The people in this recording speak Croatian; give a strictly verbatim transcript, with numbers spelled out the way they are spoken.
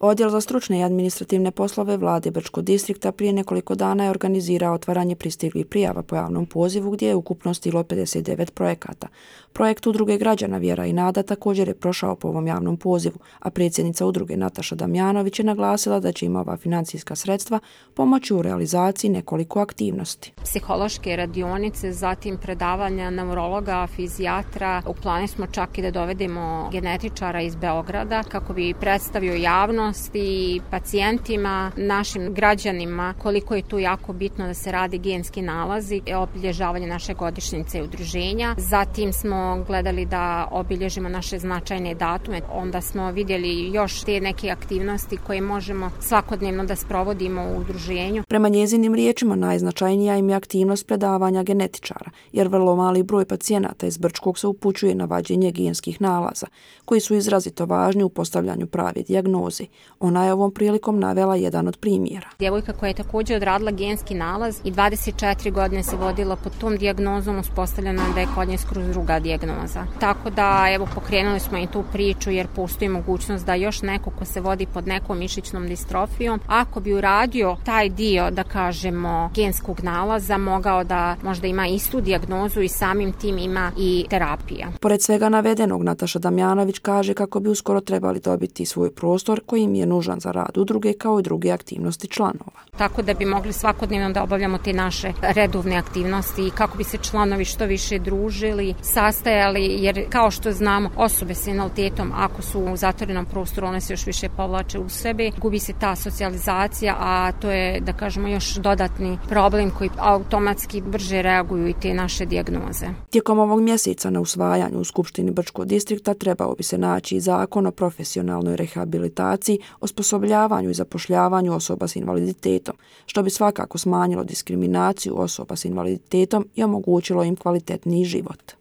Odjel za stručne i administrativne poslove vlade Brčkog distrikta prije nekoliko dana je organizirao otvaranje pristiglih prijava po javnom pozivu gdje je ukupno stiglo pedeset devet projekata. Projekt Udruge građana Vjera i nada također je prošao po ovom javnom pozivu, a predsjednica udruge Nataša Damjanović je naglasila da će im ova financijska sredstva pomoći u realizaciji nekoliko aktivnosti. Psihološke radionice, zatim predavanja neurologa, fizijatra. U planu smo čak i da dovedemo genetičara iz Beograda kako bi predstavio javnost i pacijentima, našim građanima koliko je tu jako bitno da se radi genski nalazi, obilježavanje naše godišnjice i udruženja. Zatim smo gledali da obilježimo naše značajne datume, onda smo vidjeli još te neke aktivnosti koje možemo svakodnevno da sprovodimo u udruženju. Prema njezinim riječima najznačajnija im je aktivnost predavanja genetičara, jer vrlo mali broj pacijenata iz Brčkog se upućuje na vađenje genskih nalaza, koji su izrazito važni u postavljanju prave dijagnoze. Ona je ovom prilikom navela jedan od primjera. Djevojka koja je također odradila genski nalaz i dvadeset četiri godine se vodila pod tom dijagnozom, uspostavljena da je kod nje skroz druga dijagnoza. Tako da evo pokrenuli smo i tu priču jer postoji mogućnost da još neko ko se vodi pod nekom mišićnom distrofijom, ako bi uradio taj dio, da kažemo, genskog nalaza, mogao da možda ima istu dijagnozu i samim tim ima i terapija. Pored svega navedenog, Nataša Damjanović kaže kako bi uskoro trebali dobiti svoj prostor koji im je nužan za rad udruge kao i druge aktivnosti članova. Tako da bi mogli svakodnevno da obavljamo te naše redovne aktivnosti i kako bi se članovi što više družili, sastajali, jer kao što znamo, osobe s invaliditetom ako su u zatvorenom prostoru, one se još više povlače u sebe, gubi se ta socijalizacija, a to je, da kažemo, još dodatni problem koji automatski brže reaguju i te naše dijagnoze. Tijekom ovog mjeseca na usvajanju u Skupštini Brčkog distrikta trebao bi se naći i zakon o profesionalnoj rehabilitaciji, osposobljavanju i zapošljavanju osoba s invaliditetom, što bi svakako smanjilo diskriminaciju osoba s invaliditetom i omogućilo im kvalitetniji život.